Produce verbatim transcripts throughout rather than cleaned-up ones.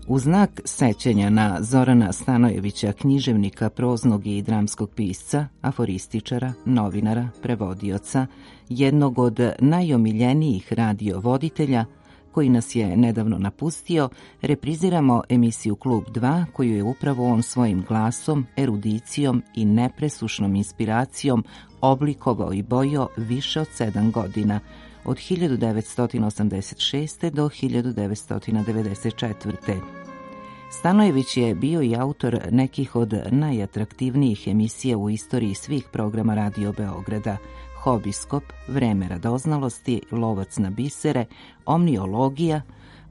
U znak sećanja na Zorana Stanojevića, književnika, proznog i dramskog pisca, aforističara, novinara, prevodioca, jednog od najomiljenijih radiovoditelja, koji nas je nedavno napustio, repriziramo emisiju Klub dva, koju je upravo on svojim glasom, erudicijom i nepresušnom inspiracijom oblikovao i bojio više od sedam godina, od hiljadu devetsto osamdeset šeste. do hiljadu devetsto devedeset četvrte. Stanojević je bio i autor nekih od najatraktivnijih emisija u istoriji svih programa Radio Beograda: Hobiskop, Vreme radoznalosti, Lovac na bisere, Omniologija,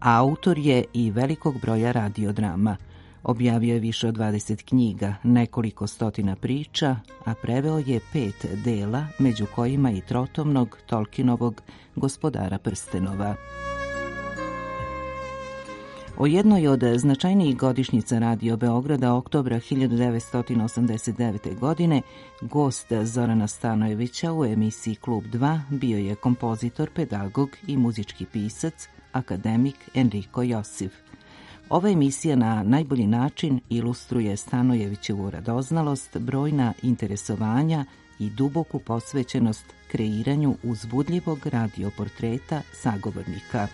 a autor je i velikog broja radiodrama. Objavio je više od dvadeset knjiga, nekoliko stotina priča, a preveo je pet dela, među kojima i trotomnog Tolkienovog Gospodara prstenova. O jednoj od značajnijih godišnjica Radio Beograda, oktobra hiljadu devetsto osamdeset devete. godine, gost Zorana Stanojevića u emisiji Klub dva bio je kompozitor, pedagog i muzički pisac, akademik Enriko Josif. Ova emisija na najbolji način ilustruje Stanojevićevu radoznalost, brojna interesovanja i duboku posvećenost kreiranju uzbudljivog radioportreta sagovornika.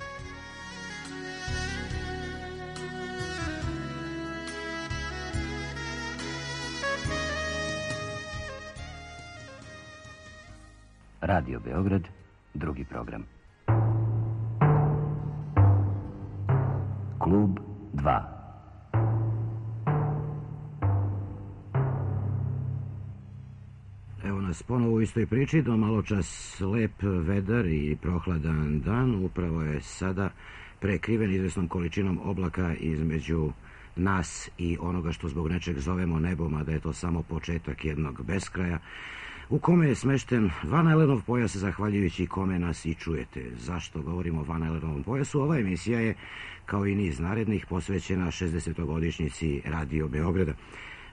Radio Beograd, drugi program. Klub dva. Evo nas ponovo u istoj priči, do malo čas lep vedar i prohladan dan. Upravo je sada prekriven izvesnom količinom oblaka između nas i onoga što zbog nečeg zovemo nebom, a da je to samo početak jednog beskraja, u kome je smešten Van Alenov pojas, zahvaljujući kome nas i čujete. Zašto govorimo o Van Alenovom pojasu? Ova emisija je, kao i niz narednih, posvećena šezdesetogodišnjici Radio Beograda.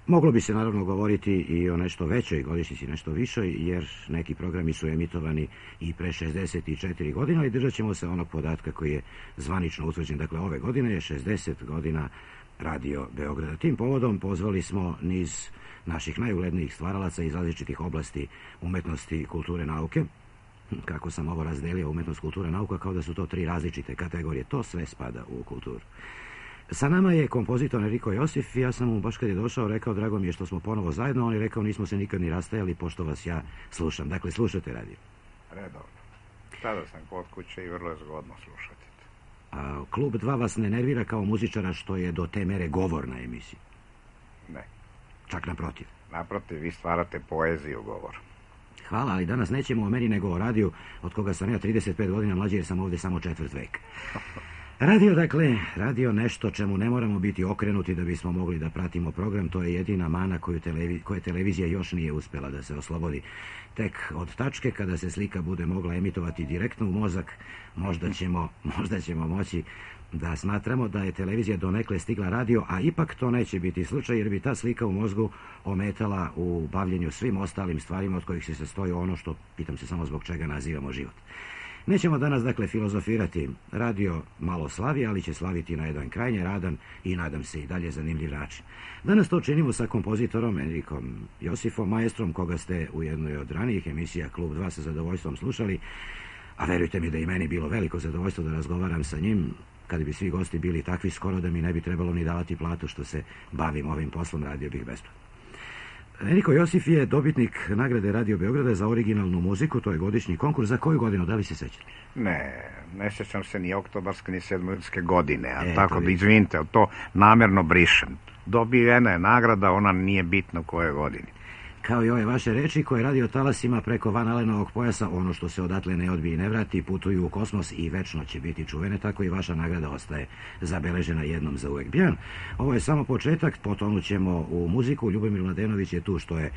Moglo bi se naravno govoriti i o nešto većoj godišnjici, nešto višoj, jer neki programi su emitovani i pre šezdeset četiri godine, i držat ćemo se onog podatka koji je zvanično utvrđen. Dakle, ove godine je šezdeset godina Radio Beograda. Tim povodom pozvali smo niz naših najuglednijih stvaralaca iz različitih oblasti umetnosti, kulture, nauke. Kako sam ovo razdelio, umetnost, kultura, nauka, kao da su to tri različite kategorije. To sve spada u kulturu. Sa nama je kompozitor Enriko Josif. Ja sam mu baš kad je došao rekao, drago mi je što smo ponovo zajedno. On je rekao, nismo se nikad ni rastajali, pošto vas ja slušam. Dakle, slušate radio? Redovno. Sada sam kod kuće i vrlo je zgodno slušati. A Klub dva vas ne nervira kao muzičara što je do te mere govorna emisija? Ne. Čak naprotiv? Naprotiv, vi stvarate poeziju govor. Hvala, ali danas nećemo o meni nego o radiju, od koga sam ja trideset pet godina mlađi, jer sam ovdje samo četvrt vek. Radio, dakle, radio nešto čemu ne moramo biti okrenuti da bismo mogli da pratimo program. To je jedina mana koju televi, koje televizija još nije uspjela da se oslobodi. Tek od tačke kada se slika bude mogla emitovati direktno u mozak, možda ćemo, možda ćemo moći da smatramo da je televizija donekle stigla radio, a ipak to neće biti slučaj, jer bi ta slika u mozgu ometala u bavljenju svim ostalim stvarima od kojih se sastoji ono što, pitam se samo zbog čega nazivamo život. Nećemo danas, dakle, filozofirati. Radio malo slavi, ali će slaviti na jedan krajnje radan i, nadam se, i dalje zanimljiv način. Danas to činimo sa kompozitorom Enrikom Josifom, maestrom koga ste u jednoj od ranijih emisija Klub dva sa zadovoljstvom slušali, a verujte mi da i meni bilo veliko zadovoljstvo da razgovaram sa njim. Kad bi svi gosti bili takvi, skoro da mi ne bi trebalo ni davati platu što se bavim ovim poslom, radio bih besplatno. Enriko Josif je dobitnik nagrade Radio Beograda za originalnu muziku. To je godišnji konkurs. Za koju godinu, da li se sećate? Ne, ne sjećam se ni oktobarske ni sedmojske godine, a e, tako da izvinite, to namjerno brišem. Dobijena je nagrada, ona nije bitna u kojoj godini. Kao i ove vaše reči koje radio talasima preko Van Alenovog pojasa, ono što se odatle ne odbije i ne vrati, putuju u kosmos i večno će biti čuvene, tako i vaša nagrada ostaje zabeležena jednom za uvek. Bjan, ovo je samo početak, potonut ćemo u muziku. Ljubomir Mladenović je tu, što je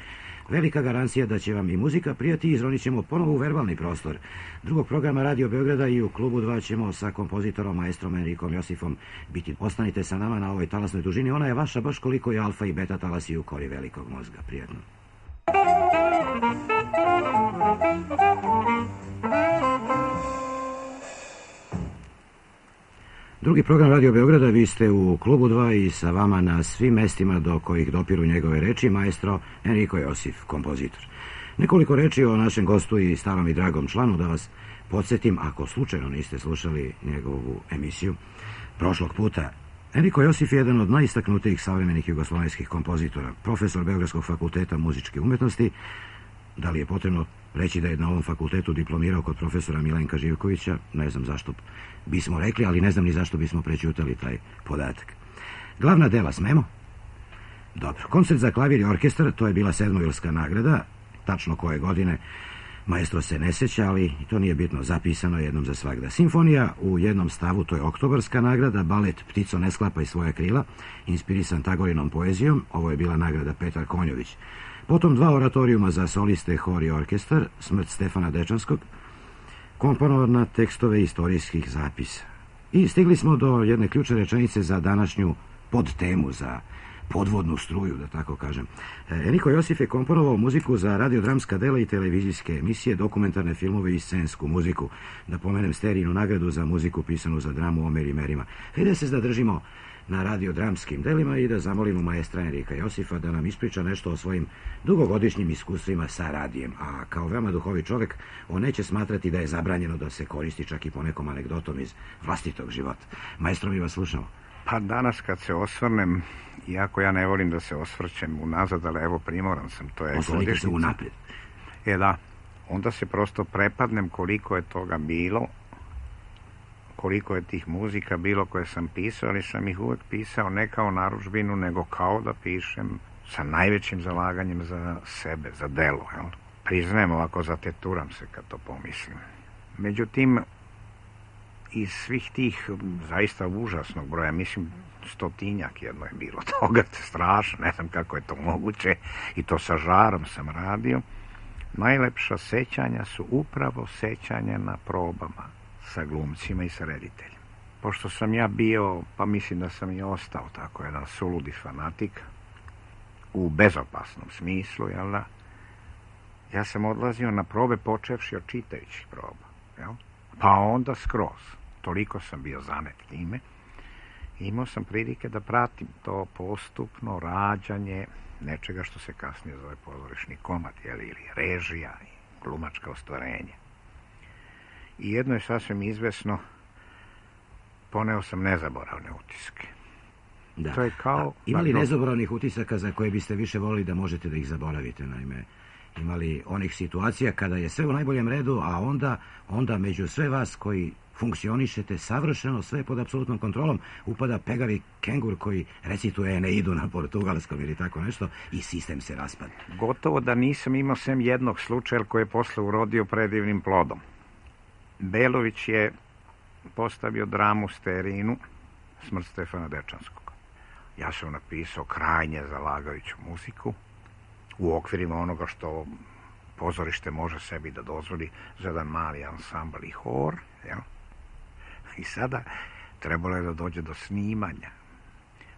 velika garancija da će vam i muzika prijati, i izronit ćemo ponovo u verbalni prostor drugog programa Radio Beograda, i u Klubu dva ćemo sa kompozitorom, maestrom Enrikom Josifom biti. Ostanite sa nama na ovoj talasnoj dužini, ona je vaša baš koliko je alfa i beta talasi u kori velikog mozga. Prijetno. Drugi program Radio Beograda, vi ste u Klubu dva i sa vama na svim mestima do kojih dopiru njegove reči maestro Enrico Josif, kompozitor. Nekoliko reči o našem gostu i starom i dragom članu, da vas podsjetim, ako slučajno niste slušali njegovu emisiju prošlog puta. Enrico Josif je jedan od najistaknutijih savremenih jugoslovenskih kompozitora, profesor Beogradskog fakulteta muzičke umetnosti. Da li je potrebno reći da je na ovom fakultetu diplomirao kod profesora Milenka Živkovića? Ne znam zašto bismo rekli, ali ne znam ni zašto bismo prećutali taj podatak. Glavna dela smemo? Dobro. Koncert za klavir i orkestar, to je bila Sedmovilska nagrada, tačno koje godine maestro se ne sjeća, ali to nije bitno, zapisano jednom za svagda. Simfonija u jednom stavu, to je Oktobarska nagrada, balet Ptico ne sklapaj svoja krila, inspirisan Tagorinom poezijom, ovo je bila nagrada Petar Konjović. Potom dva oratorijuma za soliste, hor i orkestar, Smrt Stefana Dečanskog, komponovana tekstove istorijskih zapisa. I stigli smo do jedne ključne rečenice za današnju podtemu, za podvodnu struju, da tako kažem. Enrico Josif je komponovao muziku za radiodramska dela i televizijske emisije, dokumentarne filmove i scensku muziku. Da pomenem Sterijinu nagradu za muziku pisanu za dramu Omer i Merima. Hajde da se zadržimo na radiodramskim delima i da zamolimo maestra Enrika Josifa da nam ispriča nešto o svojim dugogodišnjim iskustvima sa radijem. A kao veoma duhovi čovek, on neće smatrati da je zabranjeno da se koristi čak i ponekom anegdotom iz vlastitog života. Maestro, mi vas slušamo. Pa danas kad se osvrnem, iako ja ne volim da se osvrćem unazad, ali evo primoran sam, to je Osvrnite godišnjica. se unaprijed. E da, onda se prosto prepadnem koliko je toga bilo, koliko je tih muzika bilo koje sam pisao, ali sam ih uvek pisao ne kao narudžbinu, nego kao da pišem sa najvećim zalaganjem za sebe, za delo. Jel? Priznajem, ovako zateturam se kad to pomislim. Međutim, iz svih tih zaista užasnog broja, mislim stotinjak jedno je bilo toga, strašno, ne znam kako je to moguće, i to sa žarom sam radio, najlepša sećanja su upravo sećanja na probama sa glumcima i sa rediteljima. Pošto sam ja bio, pa mislim da sam i ostao tako jedan suludi fanatik, u bezopasnom smislu, jel da, ja sam odlazio na probe počevši od čitajućih proba, jel? Pa onda skroz. Toliko sam bio zanet time. Imao sam prilike da pratim to postupno rađanje nečega što se kasnije zove pozorišni komad, jel, ili režija i glumačka ostvarenja. I jedno je sasvim izvesno, poneo sam nezaboravne utiske. Da. To je kao... A, ima li nezaboravnih utisaka za koje biste više volili da možete da ih zaboravite, naime? Imali onih situacija kada je sve u najboljem redu, a onda, onda među sve vas koji funkcionišete savršeno, sve pod apsolutnom kontrolom, upada pegavi kengur koji recituje Eneidu na portugalskom ili tako nešto i sistem se raspada. Gotovo da nisam imao sem jednog slučaja koji je posle urodio predivnim plodom. Belović je postavio dramu Sterijinu, Smrt Stefana Dečanskog. Ja sam napisao krajnje zalagajuću muziku, u okvirima onoga što pozorište može sebi da dozvoli za jedan mali ansambl i hor, jel? I sada trebalo je da dođe do snimanja.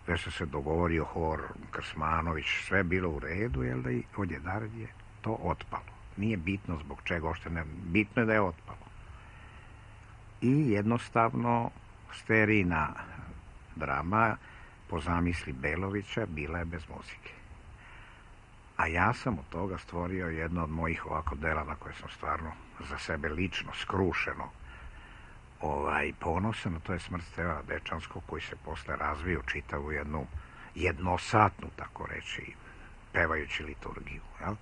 Već se se dogovorio hor, Krsmanović, sve bilo u redu, jel da, i odjedar je to otpalo. Nije bitno zbog čega, ošte ne, bitno je da je otpalo. I jednostavno Sterijina drama po zamisli Belovića bila je bez muzike. A ja sam od toga stvorio jedno od mojih ovako dela na koje sam stvarno za sebe lično, skrušeno ovaj, ponosan, a to je Smrt Stefana Dečanskog, koji se posle razvio čitavu jednu jednosatnu, tako reći, pevajući liturgiju. Jel?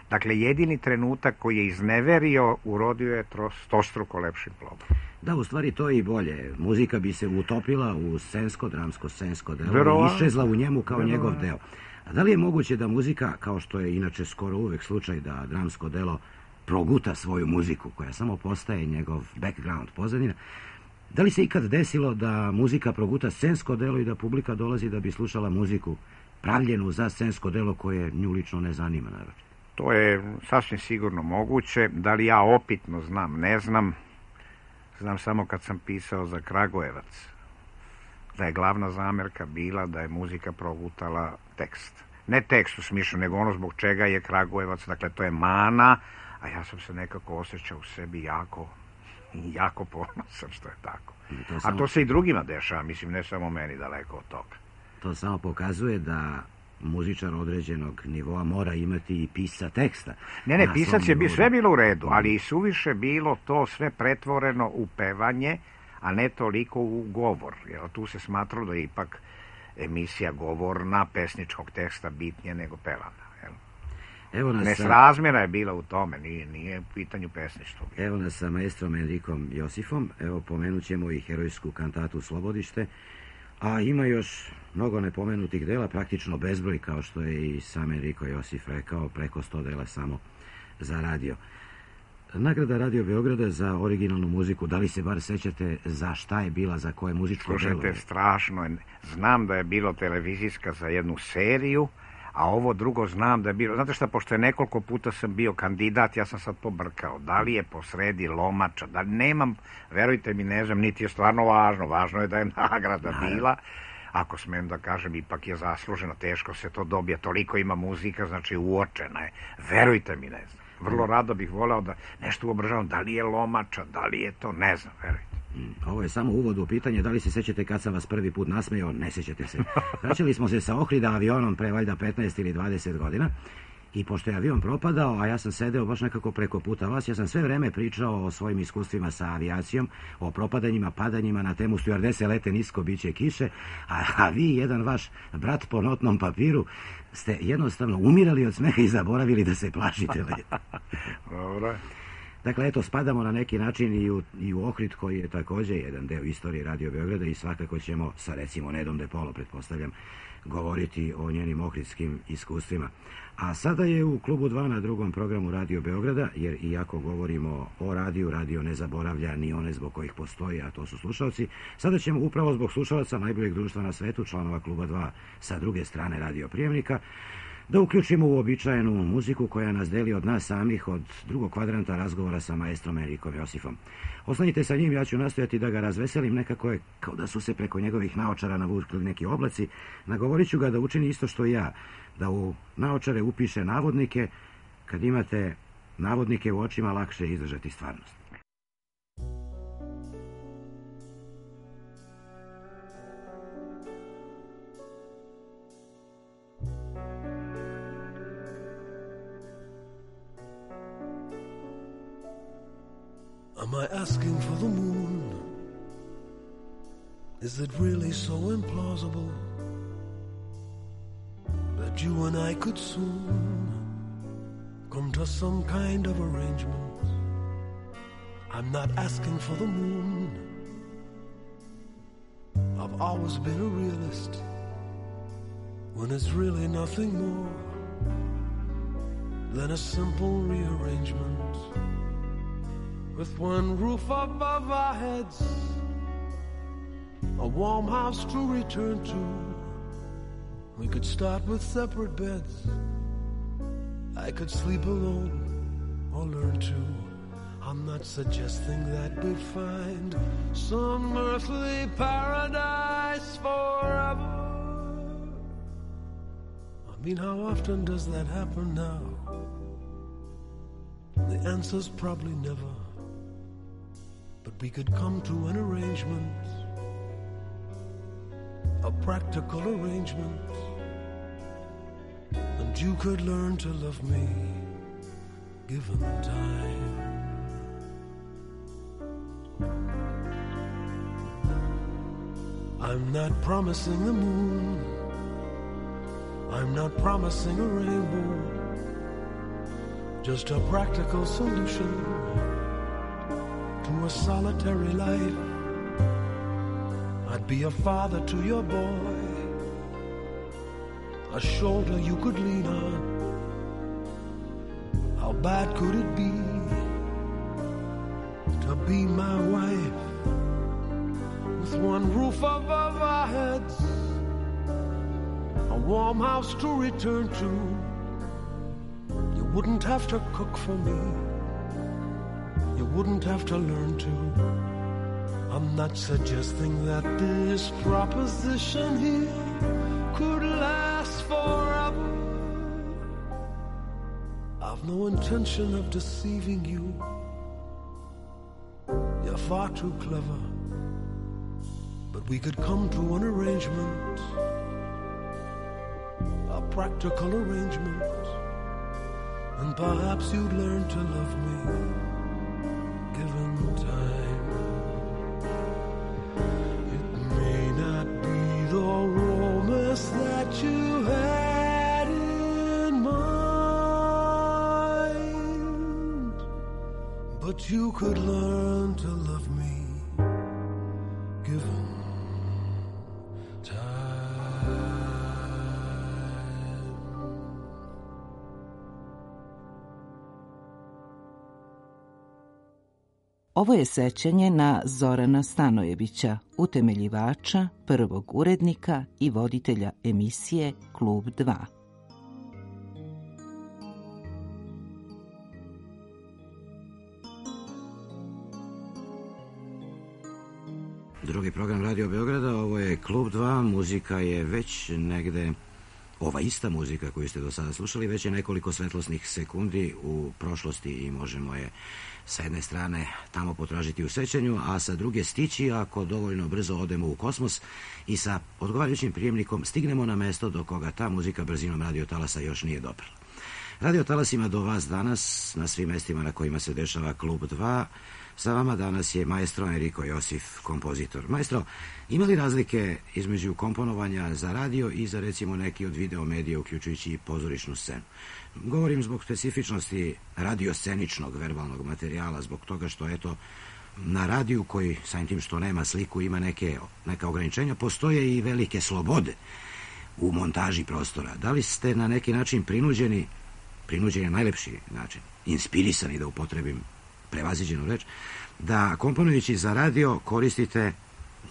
Dakle, jedini trenutak koji je izneverio urodio je stostruko lepšim plodom. Da, u stvari to je i bolje. Muzika bi se utopila u scensko, dramsko, scensko delo i iščezla u njemu kao Vero. njegov deo. A da li je moguće da muzika, kao što je inače skoro uvek slučaj, da dramsko delo proguta svoju muziku, koja samo postaje njegov background, pozadina, da li se ikad desilo da muzika proguta scensko delo i da publika dolazi da bi slušala muziku pravljenu za scensko delo koje nju lično ne zanima, naravno? To je sasvim sigurno moguće. Da li ja opitno znam, ne znam. Znam samo kad sam pisao za Kragujevac, da je glavna zamerka bila da je muzika progutala tekst. Ne tekst u smišlju, nego ono zbog čega je Kragujevac, dakle to je mana, a ja sam se nekako osjećao u sebi jako jako ponosan što je tako. To A samo, to se i drugima dešava, mislim, ne samo meni, daleko od toga. To samo pokazuje da muzičar određenog nivoa mora imati i pisa teksta. Ne, ne, Na pisac svom je bi nivou. sve bilo u redu, ali i suviše bilo to sve pretvoreno u pevanje, a ne toliko u govor. Jer tu se smatralo da je ipak emisija govorna, pesničkog teksta bitnije nego pevana. Jel? Evo nas sa, Nesrazmjera je bila u tome, nije, nije u pitanju pesništvo. evo nas sa maestrom Enrikom Josifom, evo pomenut ćemo i herojsku kantatu Slobodište, a ima još mnogo nepomenutih dela, praktično bezbroj, kao što je i sam Enriko Josif rekao, preko sto dela samo za radio. Nagrada Radio Beograda za originalnu muziku, da li se bar sećate za šta je bila, za koje muzičko delo? Slušajte, strašno je. Znam da je bilo televizijska za jednu seriju, a ovo drugo znam da je bilo... Znate šta, pošto je nekoliko puta sam bio kandidat, ja sam sad pobrkao. Da li je posredi Lomača, da nemam, verujte mi, ne znam, niti je stvarno važno. Važno je da je nagrada bila. Ako smem da kažem, ipak je zasluženo, teško se to dobije. Toliko ima muzika, znači uočena je. Verujte mi, ne znam. Vrlo rado bih voleo da nešto uobražavam. Da li je Lomača, da li je to, ne znam, verujte. Ovo je samo uvod u pitanje, da li se sećate kad sam vas prvi put nasmejao? Ne sećate se. Vraćali smo se sa Ohrida avionom pre valjda petnaest ili dvadeset godina i pošto je avion propadao, a ja sam sedeo baš nekako preko puta vas, ja sam sve vreme pričao o svojim iskustvima sa avijacijom, o propadanjima, padanjima na temu stjuardese lete nisko, biće kiše, a, a vi, jedan vaš brat po notnom papiru, ste jednostavno umirali od smeha i zaboravili da se plašite. Dobro. Dakle, eto, spadamo na neki način i u, i u Ohrid, koji je također jedan deo istorije Radio Beograda i svakako ćemo sa, recimo, Nedom De Polo, pretpostavljam, govoriti o njenim ohridskim iskustvima. A sada je u Klubu dva na drugom programu Radio Beograda, jer iako govorimo o radiju, radio ne zaboravlja ni one zbog kojih postoji, a to su slušalci, sada ćemo upravo zbog slušalaca najboljeg društva na svetu, članova Kluba dva sa druge strane radio prijemnika, da uključimo uobičajenu muziku koja nas deli od nas samih, od drugog kvadranta razgovora sa maestrom Enrikom Josifom. Ostanite sa njim, ja ću nastojati da ga razveselim, nekako je kao da su se preko njegovih naočara navukli neki oblaci. Nagovorit ću ga da učini isto što i ja, da u naočare upiše navodnike. Kad imate navodnike u očima, lakše je izdržati stvarnost. Am I asking for the moon? Is it really so implausible that you and I could soon come to some kind of arrangement? I'm not asking for the moon. I've always been a realist when it's really nothing more than a simple rearrangement. With one roof above our heads, a warm house to return to. We could start with separate beds. I could sleep alone or learn to. I'm not suggesting that we'd find some earthly paradise forever. I mean, how often does that happen now? The answer's probably never. But we could come to an arrangement, a practical arrangement, and you could learn to love me, given time. I'm not promising the moon, I'm not promising a rainbow, just a practical solution to a solitary life. I'd be a father to your boy, a shoulder you could lean on. How bad could it be to be my wife? With one roof above our heads, a warm house to return to. You wouldn't have to cook for me, you wouldn't have to learn to. I'm not suggesting that this proposition here could last forever. I've no intention of deceiving you. They're far too clever, but we could come to an arrangement, a practical arrangement, and perhaps you'd learn to love me, given time. It may not be the romance that you had in mind, but you could learn to love me, given Ovo je sećanje na Zorana Stanojevića, utemeljivača, prvog urednika i voditelja emisije Klub dva. Drugi program Radio Beograda, ovo je Klub dva, muzika je već negde, ova ista muzika koju ste do sada slušali, već je nekoliko svetlosnih sekundi u prošlosti i možemo je sa jedne strane tamo potražiti u sećanju, a sa druge stići ako dovoljno brzo odemo u kosmos i sa odgovarajućim prijemnikom stignemo na mesto do koga ta muzika brzinom radiotalasa još nije doprla. Radiotalasima do vas danas, na svim mestima na kojima se dešava Klub dva, sa vama danas je maestro Enrico Josif, kompozitor. Maestro, ima li razlike između komponovanja za radio i za recimo neki od video medija, uključujući i pozorišnu scenu? Govorim zbog specifičnosti radiosceničnog verbalnog materijala, zbog toga što, eto, na radiju koji, samim tim što nema sliku, ima neke, neka ograničenja, postoje i velike slobode u montaži prostora. Da li ste na neki način prinuđeni, prinuđeni je najlepši način, inspirisani, da upotrebim prevaziđenu reč, da komponujući za radio koristite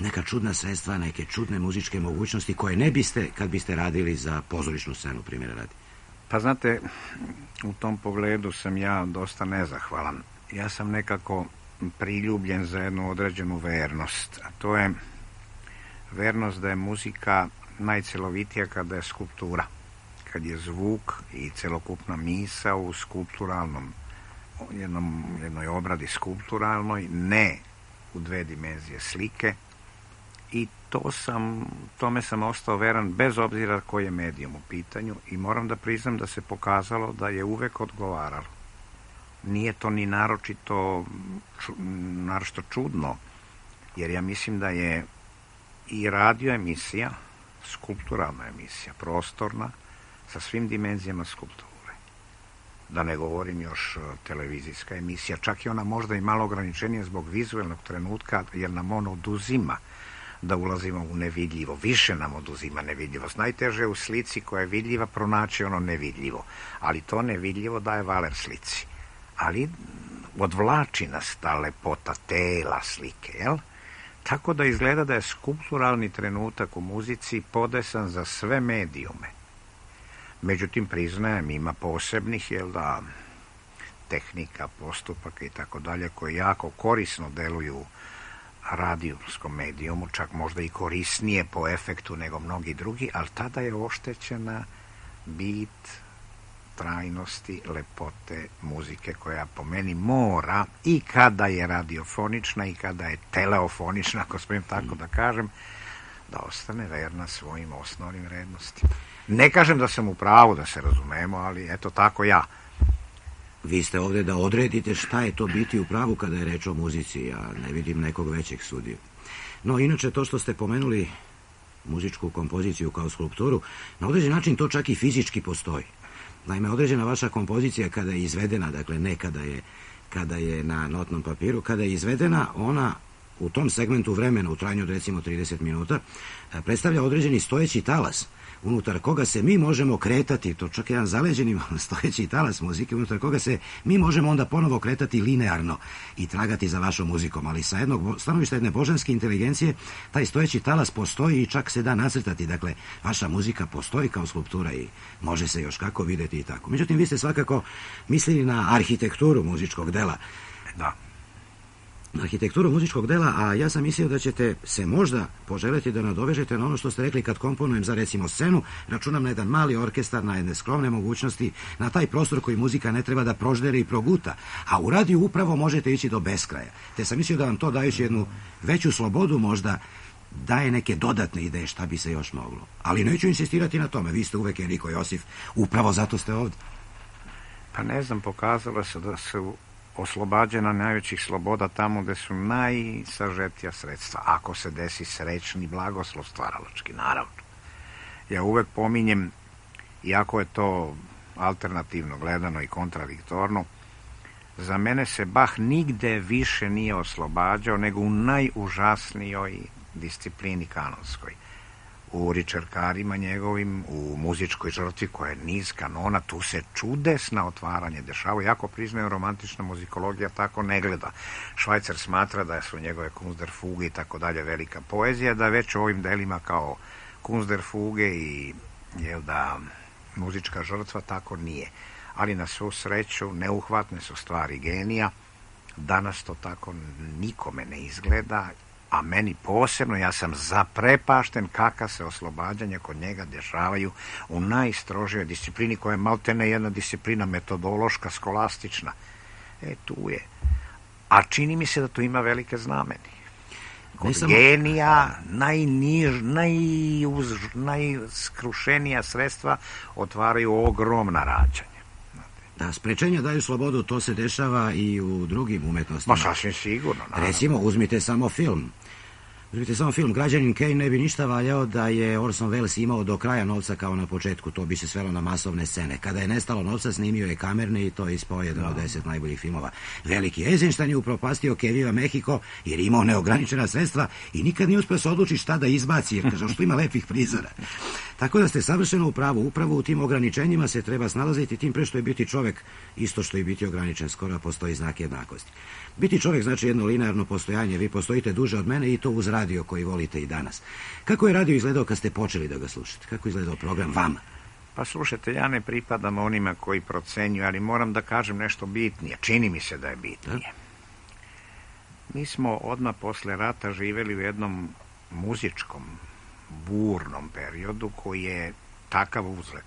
neka čudna sredstva, neke čudne muzičke mogućnosti koje ne biste kad biste radili za pozorišnu scenu, primjera radi? Pa znate, u tom pogledu sam ja dosta nezahvalan. Ja sam nekako priljubljen za jednu određenu vernost, a to je vernost da je muzika najcelovitija kada je skulptura, kad je zvuk i celokupna misa u skulpturalnom Jednom, jednoj obradi skulpturalnoj, ne u dve dimenzije slike, i to sam, tome sam ostao veran bez obzira koji je medijum u pitanju, i moram da priznam da se pokazalo da je uvek odgovaralo. Nije to ni naročito, ču, naročito čudno, jer ja mislim da je i radio emisija skulpturalna emisija, prostorna, sa svim dimenzijama skulpture. Da ne govorim još televizijska emisija, čak i ona možda i malo ograničenija zbog vizualnog trenutka, jer nam on oduzima da ulazimo u nevidljivo, više nam oduzima nevidljivost. Najteže je u slici koja je vidljiva pronaći ono nevidljivo, ali to nevidljivo daje valer slici. Ali odvlači nas ta lepota tela slike, jel? Tako da izgleda da je skulpturalni trenutak u muzici podesan za sve medijume. Međutim, priznajem, ima posebnih, jel da, tehnika, postupaka i tako dalje, koji jako korisno deluju u radijskom medijumu, čak možda i korisnije po efektu nego mnogi drugi, ali tada je oštećena bit trajnosti, lepote muzike, koja po meni mora, i kada je radiofonična i kada je teleofonična, ako smijem tako da kažem, da ostane verna svojim osnovnim vrednostima. Ne kažem da sam u pravu, da se razumemo, ali eto tako ja. Vi ste ovdje da odredite šta je to biti u pravu kada je reč o muzici, ja ne vidim nekog većeg sudiju. No, inače, to što ste pomenuli muzičku kompoziciju kao skulpturu, na određen način to čak i fizički postoji. Naime, određena vaša kompozicija kada je izvedena, dakle ne kada je, kada je na notnom papiru, kada je izvedena, ona u tom segmentu vremena, u trajanju od recimo trideset minuta, predstavlja određeni stojeći talas, unutar koga se mi možemo kretati, to čak jedan zaleđeni stojeći talas muzike, unutar koga se mi možemo onda ponovo kretati linearno i tragati za vašom muzikom, ali sa jednog stanovišta jedne božanske inteligencije, taj stojeći talas postoji i čak se da nacrtati, dakle, vaša muzika postoji kao skulptura i može se još kako videti i tako. Međutim, vi ste svakako mislili na arhitekturu muzičkog dela. Da. arhitekturu muzičkog dela, a ja sam mislio da ćete se možda poželjeti da nadovežete na ono što ste rekli kad komponujem za recimo scenu, računam na jedan mali orkestar, na jedne skromne mogućnosti, na taj prostor koji muzika ne treba da prožderi i proguta, a u radiju upravo možete ići do beskraja. Te sam mislio da vam to dajući jednu veću slobodu možda daje neke dodatne ideje šta bi se još moglo. Ali neću insistirati na tome, vi ste uvek Enrico Josif, upravo zato ste ovdje. Pa ne znam, pokazalo se da su oslobađena najvećih sloboda tamo gde su najsažetija sredstva, ako se desi srećni blagoslov stvaralački, naravno. Ja uvek pominjem, iako je to alternativno gledano i kontradiktorno, za mene se Bach nigde više nije oslobađao nego u najužasnijoj disciplini kanonskoj. U ričerkarima njegovim, u muzičkoj žrtvi koja je niz kanona, tu se čudesna otvaranje dešava. Jako priznaju, romantična muzikologija tako ne gleda. Švajcar smatra da su njegove Kunstderfuge i tako dalje velika poezija, da već u ovim delima kao Kunstderfuge i jel da muzička žrtva tako nije. Ali na svu sreću neuhvatne su stvari genija. Danas to tako nikome ne izgleda, a meni posebno, ja sam zaprepašten kakav se oslobađanja kod njega dešavaju u najstrožijoj disciplini, koja je maltene jedna disciplina metodološka, skolastična. E, tu je. A čini mi se da tu ima velike znameni. Kod samo... genija najniž, najuz, najskrušenija sredstva otvaraju ogromna rađanja. Da, sprečenja daju slobodu, to se dešava i u drugim umetnostima. Ma sasvim sigurno. Naravno. Recimo, uzmite samo film. Uzmite samo film. Građanin Kane ne bi ništa valjao da je Orson Welles imao do kraja novca kao na početku. To bi se svelo na masovne scene. Kada je nestalo novca, snimio je kamerni i to je ispao jedan od deset najboljih filmova. Veliki Eisenstein je upropastio Keviva Mexico jer je imao neograničena sredstva i nikad nije uspio se odlučiti šta da izbaci, jer kaže što ima lepih prizora. Tako da ste savršeno u pravu. Upravo u tim ograničenjima se treba snalaziti, tim pre što je biti čovek isto što i biti ograničen. Skoro postoji znak jednakosti. Biti čovek znači jedno linearno postojanje. Vi postojite duže od mene i to uz radio koji volite i danas. Kako je radio izgledao kad ste počeli da ga slušate? Kako je izgledao program vama? Pa slušajte, ja ne pripadam onima koji procenjuju, ali moram da kažem nešto bitnije. Čini mi se da je bitnije. Mi smo odmah posle rata živeli u jednom muzičkom, burnom periodu koji je takav uzlet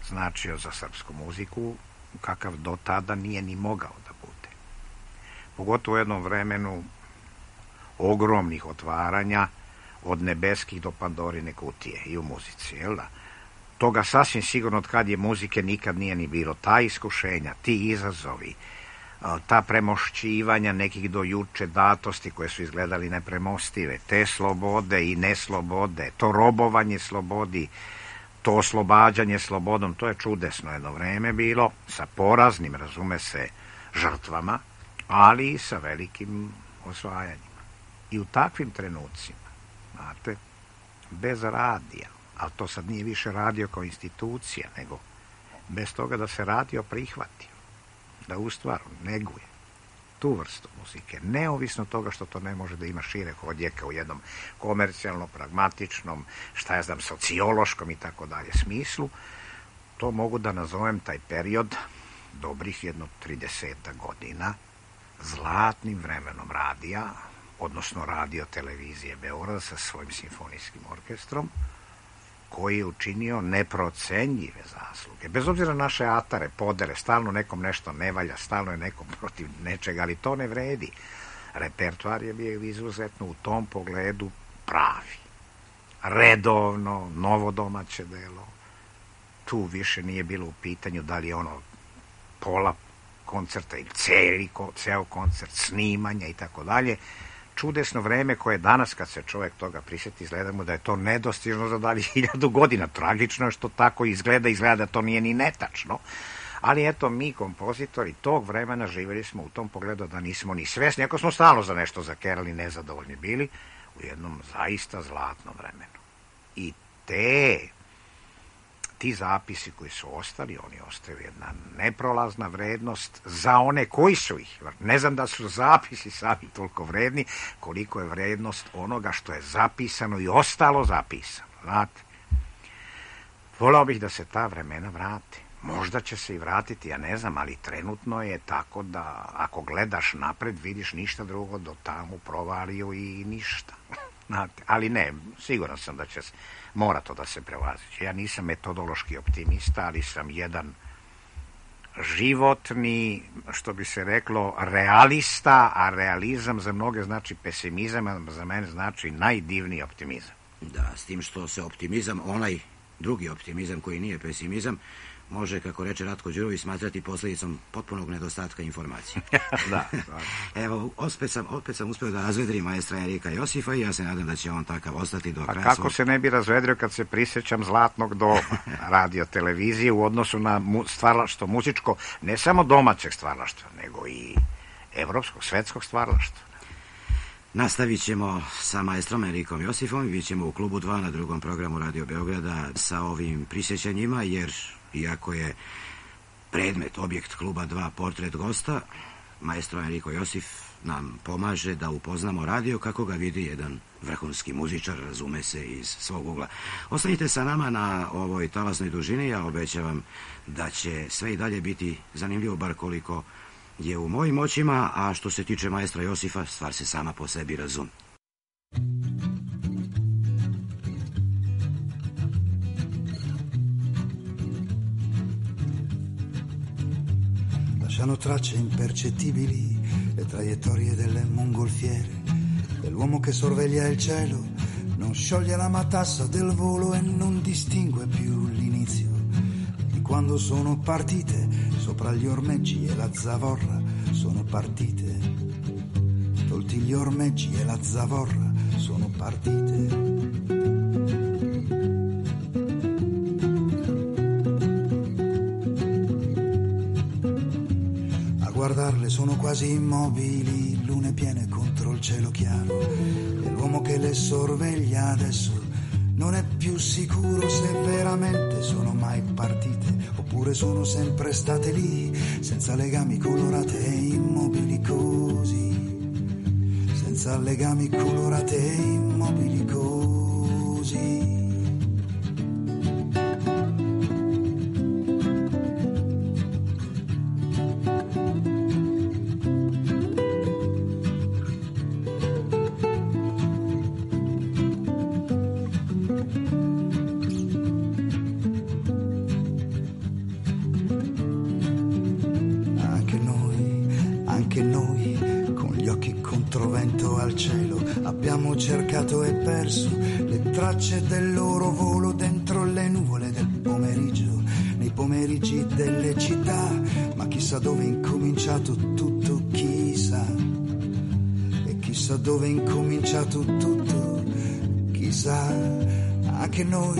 značio za srpsku muziku kakav do tada nije ni mogao da bude. Pogotovo u jednom vremenu ogromnih otvaranja od nebeskih do Pandorine kutije i u muzici, jel da? Toga sasvim sigurno od kad je muzike nikad nije ni bilo. Ta iskušenja, ti izazovi, ta premošćivanja nekih do juče datosti koje su izgledali nepremostive, te slobode i neslobode, to robovanje slobodi, to oslobađanje slobodom, to je čudesno jedno vreme bilo, sa poraznim, razume se, žrtvama, ali i sa velikim osvajanjima. I u takvim trenucima, znate, bez radija, ali to sad nije više radio kao institucija, nego bez toga da se radio prihvatio, da u stvaru neguje tu vrstu muzike, neovisno toga što to ne može da ima šire odjeka u jednom komercijalno, pragmatičnom, šta ja znam, sociološkom i tako dalje smislu, to mogu da nazovem taj period dobrih jedno trideseta godina zlatnim vremenom radija, odnosno radio televizije Beograda sa svojim simfonijskim orkestrom, koji je učinio neprocenjive zasluge. Bez obzira na naše atare, podere, stalno nekom nešto ne valja, stalno je nekom protiv nečega, ali to ne vredi. Repertoar je bio izuzetno u tom pogledu pravi. Redovno, novo domaće delo. Tu više nije bilo u pitanju da li je ono pola koncerta ili celi, ceo koncert, snimanja i tako dalje. Čudesno vreme koje danas, kad se čovjek toga prisjeti, izgleda mu da je to nedostižno za dalje hiljadu godina. Tragično je što tako izgleda, izgleda da to nije ni netačno. Ali eto, mi, kompozitori tog vremena, živjeli smo u tom pogledu da nismo ni svesni, ako smo stalno za nešto zakerali, nezadovoljni bili, u jednom zaista zlatnom vremenu. I te, ti zapisi koji su ostali, oni ostaju jedna neprolazna vrednost za one koji su ih. Ne znam da su zapisi sami toliko vredni, koliko je vrednost onoga što je zapisano i ostalo zapisano. Znate, volao bih da se ta vremena vrate. Možda će se i vratiti, ja ne znam, ali trenutno je tako da ako gledaš napred, vidiš ništa drugo do tamo provalio i ništa. Ali ne, siguran sam da će se, mora to da se prevazići. Ja nisam metodološki optimista, ali sam jedan životni, što bi se reklo, realista, a realizam za mnoge znači pesimizam, a za mene znači najdivniji optimizam. Da, s tim što se optimizam, onaj drugi optimizam koji nije pesimizam, može, kako reče Ratko Đurović, smatrati posljedicom potpunog nedostatka informacije. Da. Evo, opet sam, opet sam uspio da razvedrim maestra Erika Josifa i ja se nadam da će on takav ostati do kraja. A kako se ne bi razvedrio kad se prisjećam zlatnog doba radio televizije u odnosu na mu, stvaralaštvo muzičko, ne samo domaćeg stvaralaštva, nego i evropskog, svetskog stvaralaštva. Nastavit ćemo sa maestrom Erikom Josifom i bit ćemo u klubu dva na drugom programu Radio Beograda sa ovim prisjećanjima, jer iako je predmet, objekt kluba dva portret gosta, maestro Eriko Josif nam pomaže da upoznamo radio kako ga vidi jedan vrhunski muzičar, razume se, iz svog ugla. Ostanite sa nama na ovoj talasnoj dužini, ja obećavam da će sve i dalje biti zanimljivo, bar koliko je u mojim očima, a što se tiče maestra Josifa, stvar se sama po sebi razume. Lasciano tracce impercettibili le traiettorie delle mongolfiere, dell'uomo che sorveglia il cielo, non scioglie la matassa del volo e non distingue più l'inizio di quando sono partite sopra gli ormeggi e la zavorra sono partite, tolti gli ormeggi e la zavorra sono partite. Guardarle sono quasi immobili, lune piene contro il cielo chiaro, e l'uomo che le sorveglia adesso non è più sicuro se veramente sono mai partite oppure sono sempre state lì, senza legami, colorate e immobili così, senza legami, colorate e immobili così. Cercato e perso le tracce del loro volo dentro le nuvole del pomeriggio, nei pomeriggi delle città, ma chissà dove è incominciato tutto, chissà, e chissà dove è incominciato tutto, chissà. Anche noi,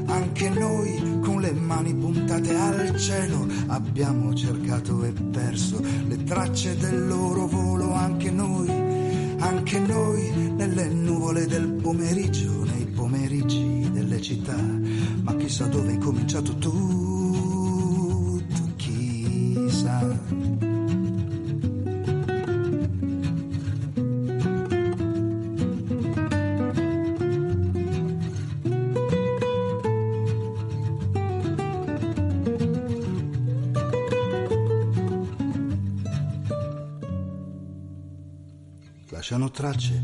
anche noi con le mani puntate al cielo abbiamo cercato e perso le tracce del loro volo, anche noi. Anche noi nelle nuvole del pomeriggio, nei pomeriggi delle città, ma chissà dove è cominciato tutto, chissà. Lasciano tracce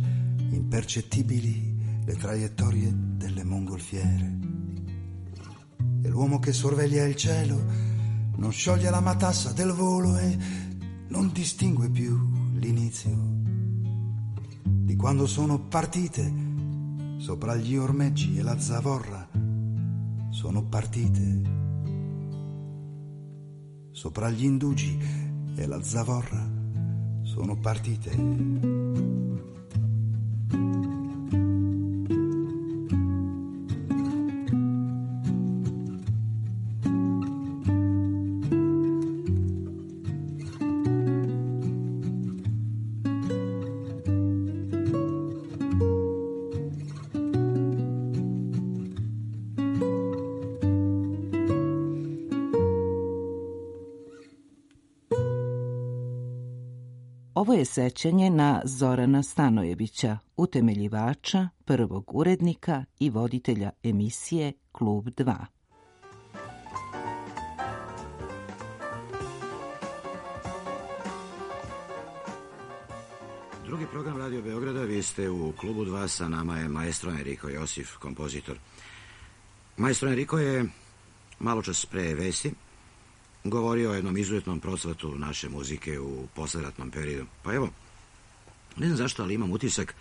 impercettibili le traiettorie delle mongolfiere, e l'uomo che sorveglia il cielo non scioglie la matassa del volo e non distingue più l'inizio di quando sono partite sopra gli ormeggi e la zavorra sono partite, sopra gli indugi e la zavorra sono partite. Ovo je sećanje na Zorana Stanojevića, utemeljivača, prvog urednika i voditelja emisije Klub dva. Drugi program Radio Beograda, vi ste u klubu dva, sa nama je maestro Enrico Josif, kompozitor. Maestro Enrico je malo čas pre vesti govorio o jednom izuzetnom procvatu naše muzike u posleratnom periodu. Pa evo, ne znam zašto, ali imam utisak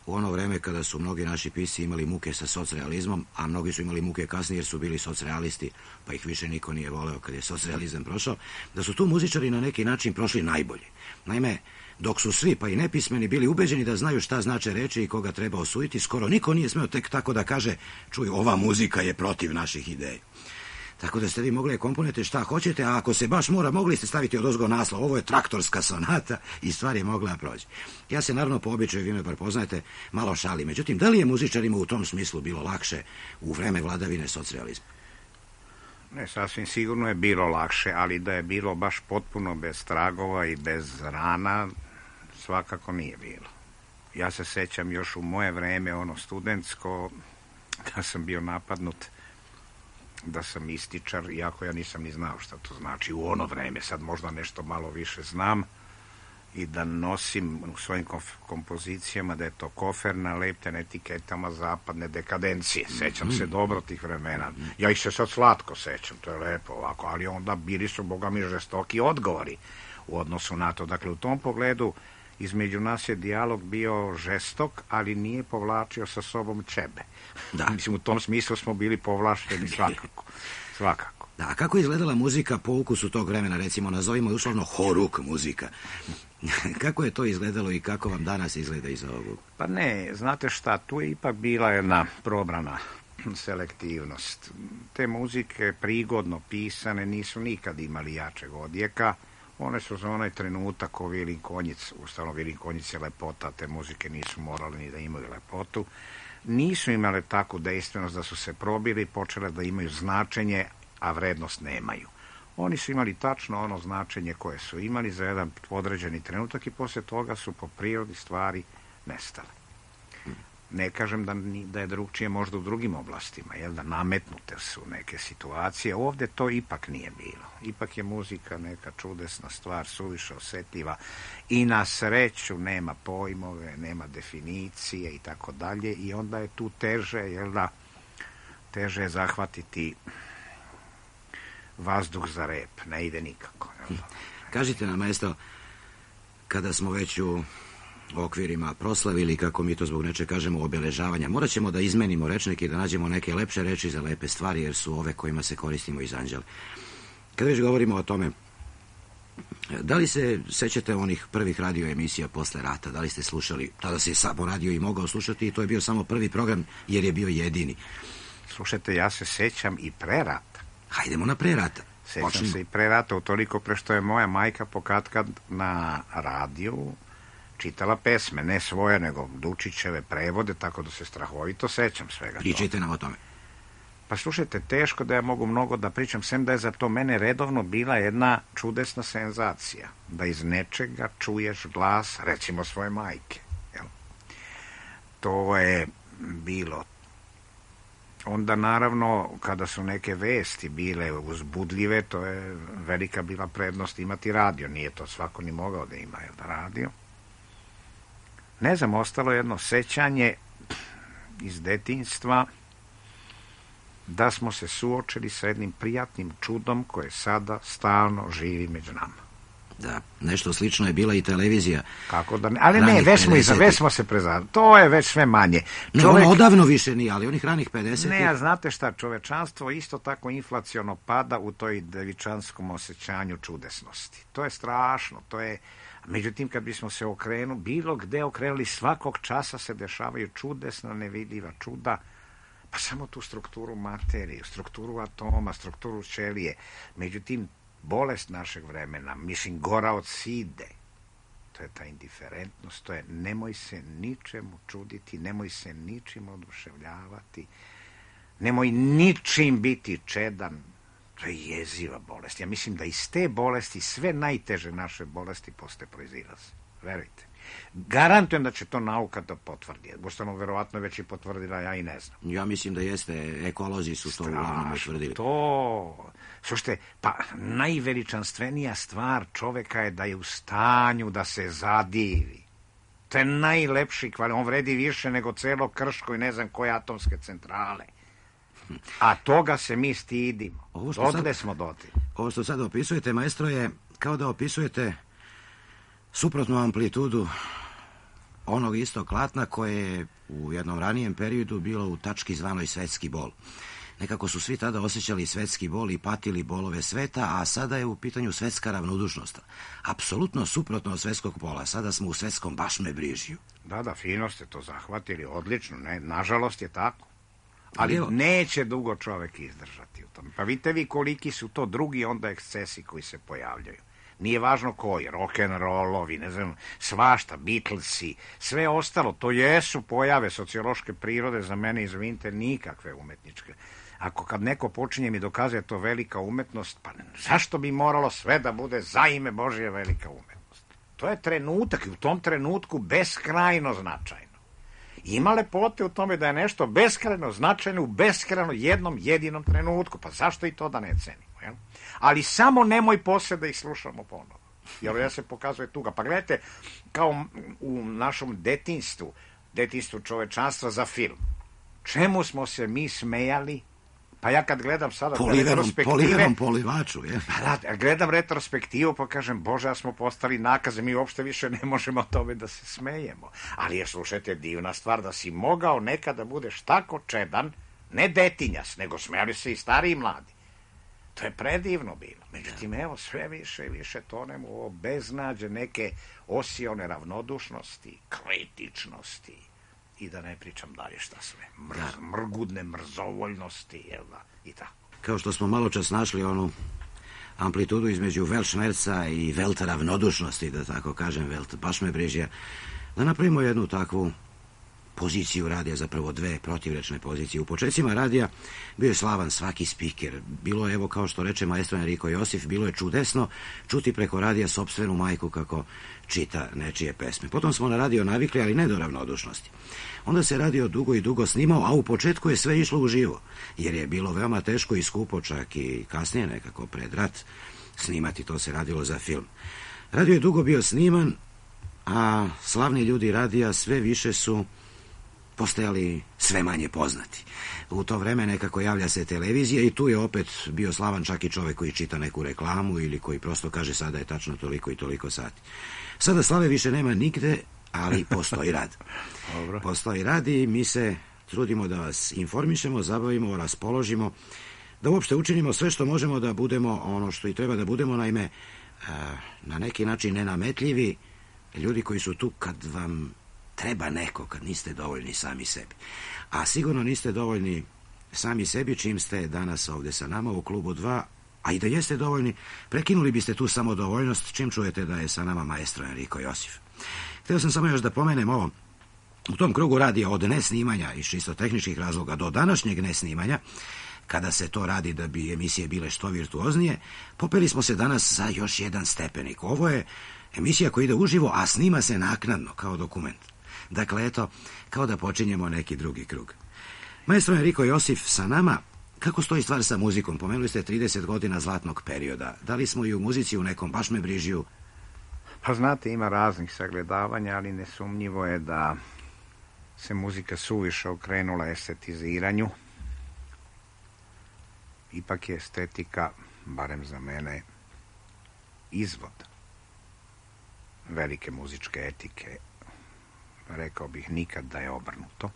u ono vreme kada su mnogi naši pisci imali muke sa socrealizmom, a mnogi su imali muke kasnije jer su bili socrealisti, pa ih više niko nije voleo kad je socrealizam prošao, da su tu muzičari na neki način prošli najbolje. Naime, dok su svi, pa i nepismeni, bili ubeđeni da znaju šta znače reči i koga treba osuditi, skoro niko nije smeo tek tako da kaže, čuj, ova muzika je protiv naših ideja. Tako da ste vi mogli komponete šta hoćete, a ako se baš mora, mogli ste staviti odozgo naslov, ovo je traktorska sonata i stvar je mogla proći. Ja se naravno po običaju, vi me prepoznajete, malo šali. Međutim, da li je muzičarima u tom smislu bilo lakše u vreme vladavine socrealizma? Ne, sasvim sigurno je bilo lakše, ali da je bilo baš potpuno bez tragova i bez rana, svakako nije bilo. Ja se sećam još u moje vreme, ono studentsko, da sam bio napadnut, da sam ističar, iako ja nisam ni znao šta to znači u ono vreme, sad možda nešto malo više znam, i da nosim u svojim kompozicijama da je to kofer nalepten etiketama zapadne dekadencije. Sećam se dobro tih vremena. Ja ih se sad slatko sećam, to je lepo ovako, ali onda bili su, boga mi, žestoki odgovori u odnosu na to. Dakle, u tom pogledu između nas je dijalog bio žestok, ali nije povlačio sa sobom ćebe. Da. Mislim, u tom smislu smo bili povlašteni svakako. Svakako. Da, a kako je izgledala muzika po ukusu tog vremena, recimo, nazovimo je uslovno horuk muzika? Kako je to izgledalo i kako vam danas izgleda iz ovog? Pa ne, znate šta, tu je ipak bila jedna probrana selektivnost. Te muzike prigodno pisane nisu nikad imali jačeg odjeka. One su za onaj trenutak o Vilin Konjic, ustavno Vilin Konjic je lepota, te muzike nisu morali ni da imaju lepotu. Nisu imale takvu dejstvenost da su se probili i počele da imaju značenje, a vrednost nemaju. Oni su imali tačno ono značenje koje su imali za jedan određeni trenutak i poslije toga su po prirodi stvari nestale. Ne kažem da, da je drugčije možda u drugim oblastima, jel da nametnute su neke situacije. Ovdje to ipak nije bilo. Ipak je muzika neka čudesna stvar, suviše osjetljiva i na sreću nema pojmove, nema definicije i tako dalje i onda je tu teže, jel da, teže je zahvatiti vazduh za rep, ne ide nikako. Jel da? Kažite nam, maestro, kada smo već u okvirima proslavili, kako mi to zbog nečeg kažemo, obeležavanja, morat ćemo da izmenimo rečnike i da nađemo neke lepše reči za lepe stvari, jer su ove kojima se koristimo iz anđela. Kada već govorimo o tome, da li se sećate onih prvih radio emisija posle rata? Da li ste slušali? Tada se samo radio i mogao slušati i to je bio samo prvi program jer je bio jedini. Slušajte, ja se sećam i pre rata. Hajdemo na pre rata. Sećam Počnemo. se i pre rata, utoliko pre što je moja majka pokatkad na radiju čitala pesme, ne svoje, nego Dučićeve prevode, tako da se strahovito sećam svega. Pričajte nam o tome. Pa slušajte, teško da ja mogu mnogo da pričam, sem da je za to mene redovno bila jedna čudesna senzacija. Da iz nečega čuješ glas, recimo, svoje majke. Jel? To je bilo. Onda, naravno, kada su neke vesti bile uzbudljive, to je velika bila prednost imati radio. Nije to svako ni mogao da ima, jel da, radio. Ne znam, ostalo jedno sećanje iz detinjstva da smo se suočili sa jednim prijatnim čudom koje sada stalno živi među nama. Da, nešto slično je bila i televizija. Kako da ne, ali ne, već smo, iza, već smo se prezadili. To je već sve manje. Ne, Čovek... ono odavno više nije, ali onih ranih pedesetih... Ne, a znate šta, čovečanstvo isto tako inflaciono pada u toj devičanskom osjećanju čudesnosti. To je strašno, to je... Međutim, kad bismo se okrenuli, bilo gde okrenuli, svakog časa se dešavaju čudesna, nevidljiva čuda, pa samo tu strukturu materije, strukturu atoma, strukturu ćelije. Međutim, bolest našeg vremena, mislim, gora od side, to je ta indiferentnost, to je nemoj se ničemu čuditi, nemoj se ničim oduševljavati, nemoj ničim biti čedan. To je jeziva bolest. Ja mislim da iz te bolesti sve najteže naše bolesti posle proizilaze. Verujte. Garantujem da će to nauka da potvrdi. Boštano verovatno već i potvrdila, ja i ne znam. Ja mislim da jeste, ekolozi su to uglavnom potvrdili. To... Slušajte, pa najveličanstvenija stvar čoveka je da je u stanju da se zadivi. To je najlepši kvalitet. On vredi više nego celo Krško i ne znam koje atomske centrale. A toga se mi stidimo. Dotle smo dotle. Ovo što sad opisujete, maestro, je kao da opisujete suprotnu amplitudu onog istog klatna koje je u jednom ranijem periodu bilo u tački zvanoj svetski bol. Nekako su svi tada osjećali svetski bol i patili bolove sveta, a sada je u pitanju svetska ravnodušnost. Apsolutno suprotno od svetskog pola. Sada smo u svetskom bašmebrižju. Da, da, fino ste to zahvatili, odlično. Ne, nažalost je tako. Ali Evo. neće dugo čovek izdržati u tome. Pa vidite vi koliki su to drugi onda ekscesi koji se pojavljaju. Nije važno koji, rock'n'rollovi, ne znam, svašta, Beatlesi, sve ostalo, to jesu pojave sociološke prirode, za mene, izvinite, nikakve umetničke. Ako kad neko počinje mi dokazuje to velika umetnost, pa zašto bi moralo sve da bude za ime Božje velika umetnost? To je trenutak i u tom trenutku beskrajno značajno. Ima lepote u tome da je nešto beskrajno značajno u beskrajno jednom jedinom trenutku, pa zašto i to da ne cenimo, jel? Ali samo nemoj posle da ih slušamo ponovo, jer ja se pokazuje tuga. Pa gledajte, kao u našom detinjstvu, detinjstvu čovečanstva za film, čemu smo se mi smejali? Pa ja kad gledam sada retrospektive... Poliverom polivaču, je. Pa da, gledam retrospektivu pa kažem, Bože, ja smo postali nakaze, mi uopšte više ne možemo o tome da se smejemo. Ali je, slušajte, divna stvar da si mogao nekada budeš tako čedan, ne detinjas, nego smejali se i stari i mladi. To je predivno bilo. Međutim, evo, sve više i više tonemo u ovo beznađe neke osione ravnodušnosti, kritičnosti. I da ne pričam dalje šta sve. Mrz, da. Mrgudne mrzovoljnosti, jel da, i tako. Kao što smo malo čas našli onu amplitudu između Weltschmerza i Welt ravnodušnosti, da tako kažem, Welt bašmebrižja, da napravimo jednu takvu poziciju radija, zapravo dve protivrečne pozicije. U početcima radija bio je slavan svaki spiker. Bilo je, evo, kao što reče maestro Enrico Josif, bilo je čudesno čuti preko radija sopstvenu majku kako čita nečije pesme. Potom smo na radio navikli, ali ne do ravnodušnosti. Onda se radio dugo i dugo snimao, a u početku je sve išlo uživo, jer je bilo veoma teško i skupo, čak i kasnije nekako pred rat snimati, to se radilo za film. Radio je dugo bio sniman, a slavni ljudi radija sve više su postajali sve manje poznati. U to vreme nekako javlja se televizija i tu je opet bio slavan čak i čovek koji čita neku reklamu ili koji prosto kaže sada je tačno toliko i toliko sati. Sada slave više nema nigde, ali postoji rad. Dobro. Postoji rad i mi se trudimo da vas informišemo, zabavimo, raspoložimo, da uopšte učinimo sve što možemo da budemo ono što i treba da budemo, naime, na neki način nenametljivi ljudi koji su tu kad vam treba neko, kad niste dovoljni sami sebi. A sigurno niste dovoljni sami sebi čim ste danas ovde sa nama u klubu dva, a i da jeste dovoljni, prekinuli biste tu samodovoljnost čim čujete da je sa nama maestro Enrico Josif. Htio sam samo još da pomenem ovo. U tom krugu radija od nesnimanja iz čisto tehničkih razloga do današnjeg nesnimanja, kada se to radi da bi emisije bile što virtuoznije, popeli smo se danas za još jedan stepenik. Ovo je emisija koja ide uživo, a snima se naknadno kao dokument. Dakle, eto, kao da počinjemo neki drugi krug. Maestro Enrico Josif sa nama. Kako stoji stvar sa muzikom? Pomenuli ste trideset godina zlatnog perioda. Da li smo i u muzici u nekom bašmebrižju? Pa znate, ima raznih sagledavanja, ali nesumnjivo je da se muzika suviše okrenula estetiziranju. Ipak je estetika, barem za mene, izvod velike muzičke etike. Rekao bih nikad da je obrnuto.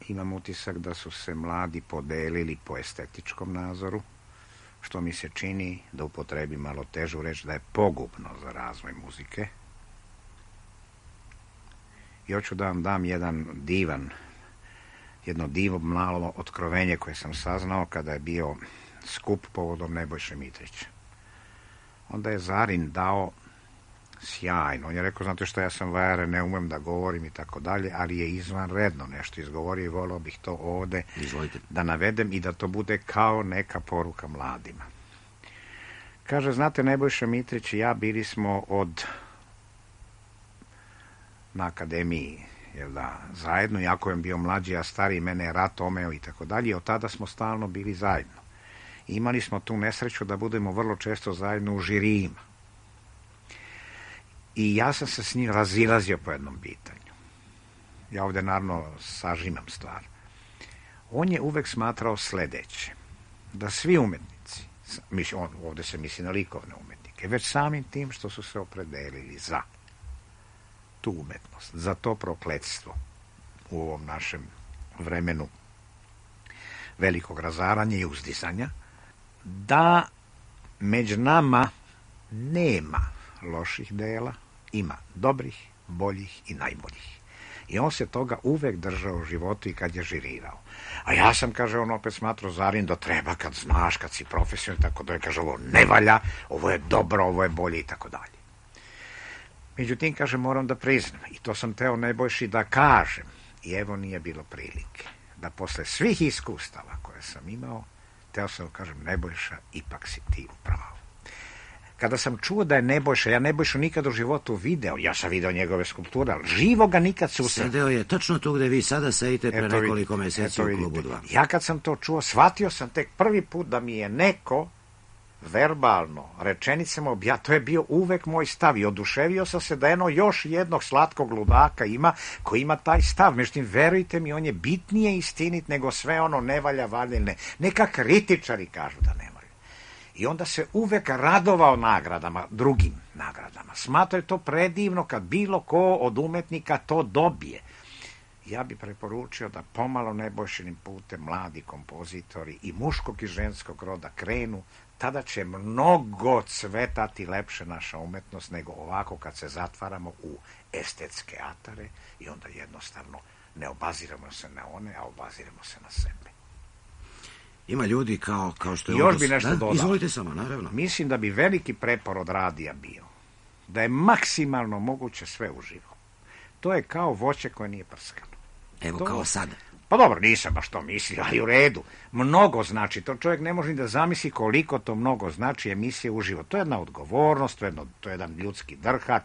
Imam utisak da su se mladi podelili po estetičkom nazoru, što mi se čini, da upotrebi malo težu reč, da je pogubno za razvoj muzike. I hoću da vam dam jedan divan, jedno divo malo otkrovenje koje sam saznao kada je bio skup povodom Nebojše Mitrića. Onda je Zarin dao sjajno. On je rekao, znate što, ja sam vajare, ne umem da govorim i tako dalje, ali je izvanredno nešto izgovorio i volao bih to ovde Izvolite. Da navedem i da to bude kao neka poruka mladima. Kaže, znate, Nebojša Mitrić i ja bili smo od na akademiji, jel da, zajedno, iako je bio mlađi, a stariji, mene je rat omeo i tako dalje, i od tada smo stalno bili zajedno. Imali smo tu nesreću da budemo vrlo često zajedno u žirijima. I ja sam se s njim razilazio po jednom pitanju. Ja ovdje naravno sažimam stvar. On je uvek smatrao sledeće, da svi umetnici, on, ovdje se misli na likovne umetnike, već samim tim što su se opredelili za tu umetnost, za to prokletstvo u ovom našem vremenu velikog razaranja i uzdizanja, da među nama nema loših dela, ima dobrih, boljih i najboljih. I on se toga uvek držao u životu i kad je žirirao. A ja sam, kaže, on opet smatrao Zarin da treba kad znaš, kad si profesionalni, tako da je, kaže, ovo ne valja, ovo je dobro, ovo je bolje i tako dalje. Međutim, kaže, moram da priznam, i to sam teo Nebojši da kažem, i evo nije bilo prilike, da posle svih iskustava koje sam imao, teo sam da kažem, Nebojša, ipak si ti u pravu. Kada sam čuo da je Nebojša, ja Nebojšu nikad u životu video, ja sam video njegove skulpture, ali živo ga nikad susreo. Sedeo je točno tu gde vi sada sedite pre eto, nekoliko meseci u klubu dva. Ja kad sam to čuo, shvatio sam tek prvi put da mi je neko verbalno, rečenicama obja, to je bio uvek moj stav i oduševio sam se da eno još jednog slatkog ludaka ima koji ima taj stav. Međutim, verujte mi, on je bitnije istinit nego sve ono ne valja, valja, ne. Neka kritičari kažu da ne valja. I onda se uvek radovao nagradama, drugim nagradama. Smatrao je to predivno kad bilo ko od umetnika to dobije. Ja bi preporučio da pomalo Nebojšinim putem mladi kompozitori i muškog i ženskog roda krenu, tada će mnogo cvetati lepše naša umetnost nego ovako kad se zatvaramo u estetske atare i onda jednostavno ne obaziramo se na one, a obaziramo se na sebe. Ima ljudi kao, kao što je... Još bi nešto dodao. Izvolite samo, naravno. Mislim da bi veliki prepor od radija bio da je maksimalno moguće sve uživo. To je kao voće koje nije prskano. Evo, to... kao sada. Pa dobro, nisam baš to mislio, ali u redu. Mnogo znači, to čovjek ne može ni da zamisli koliko to mnogo znači emisije uživo. To je jedna odgovornost, to je, jedno, to je jedan ljudski drhat,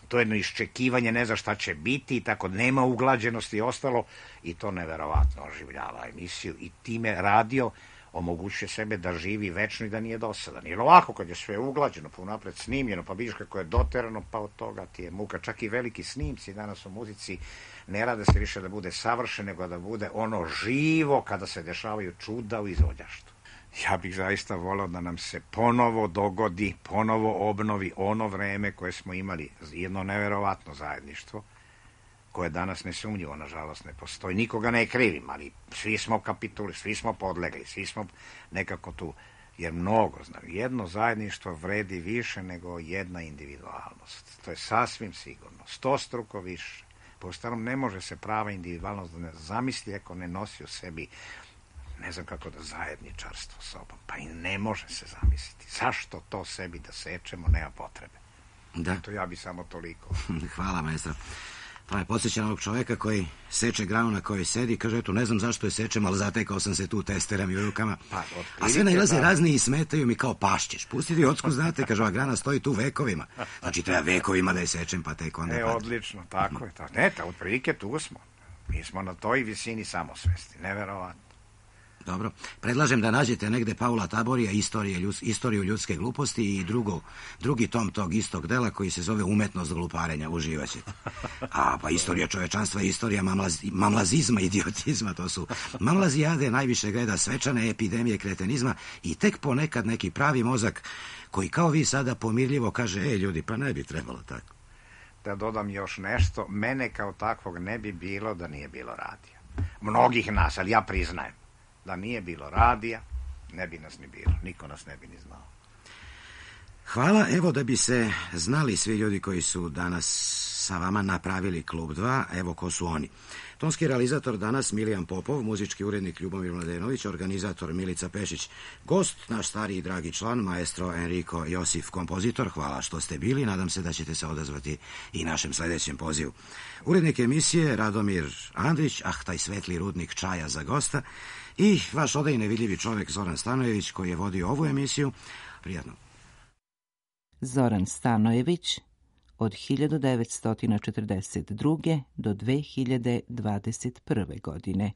to je jedno iščekivanje, ne zna šta će biti, i tako nema uglađenosti i ostalo, i to neverovatno oživljava emisiju i time radio omogućuje sebe da živi večno i da nije dosadan. Jer ovako kad je sve uglađeno, pa unapred snimljeno, pa vidiš kako je doterano, pa od toga ti je muka. Čak i veliki snimci danas u muzici ne rade se više da bude savršen, nego da bude ono živo kada se dešavaju čuda u izvođaštvu. Ja bih zaista volao da nam se ponovo dogodi, ponovo obnovi ono vreme koje smo imali, jedno neverovatno zajedništvo, koje danas nesumnjivo, nažalost, ne postoji. Nikoga ne krivim, ali svi smo kapituli, svi smo podlegli, svi smo nekako tu, jer mnogo znam. Jedno zajedništvo vredi više nego jedna individualnost. To je sasvim sigurno, stostruko više. Po starom ne može se prava individualnost da ne zamisli ako ne nosi u sebi, ne znam kako da, zajedničarstvo sobom. Pa i ne može se zamisliti. Zašto to sebi da sečemo, nema potrebe. Da. To ja bi samo toliko. Hvala, maestro. Pa je podsjećan ovog čoveka koji seče granu na kojoj sedi, kaže, eto, ne znam zašto je sečem, ali zatekao sam se tu testeram i u rukama. Pa, a sve najlaze da... razni i smetaju mi kao pašćeš. Pustiti ocku, znate, kaže, ova grana stoji tu vekovima. Znači, treba vekovima da je sečem, pa tek onda... E, pada. Odlično, tako je. Tako. Ne, ta, otprilike tu smo. Mi smo na toj visini samosvesti, neverovatno. Dobro, predlažem da nađete negde Paula Taborija, istorije, ljud, istoriju ljudske gluposti i drugo, drugi tom tog istog dela koji se zove Umetnost gluparenja, uživaćete. A pa istorija čovečanstva i istorija mamlaz, mamlazizma, idiotizma, to su mamlazijade, najviše gleda svečane epidemije kretenizma i tek ponekad neki pravi mozak koji kao vi sada pomirljivo kaže, ej ljudi, pa ne bi trebalo tako. Da dodam još nešto, mene kao takvog ne bi bilo da nije bilo radija. Mnogih nas, ali ja priznajem. Da nije bilo radija, ne bi nas ni bilo. Niko nas ne bi ni znao. Hvala. Evo da bi se znali svi ljudi koji su danas sa vama napravili Klub dva, evo ko su oni. Tonski realizator danas Milijan Popov, muzički urednik Ljubomir Mladenović, organizator Milica Pešić, gost, naš stariji i dragi član, maestro Enrico Josif, kompozitor. Hvala što ste bili, nadam se da ćete se odazvati i našem sledećem pozivu. Urednik emisije Radomir Andrić, ah, taj svetli rudnik čaja za gosta, i vaš odaj nevidljivi čovjek Zoran Stanojević koji je vodio ovu emisiju. Prijatno. Zoran Stanojević od hiljadu devetsto četrdeset druge do dve hiljade dvadeset prve godine.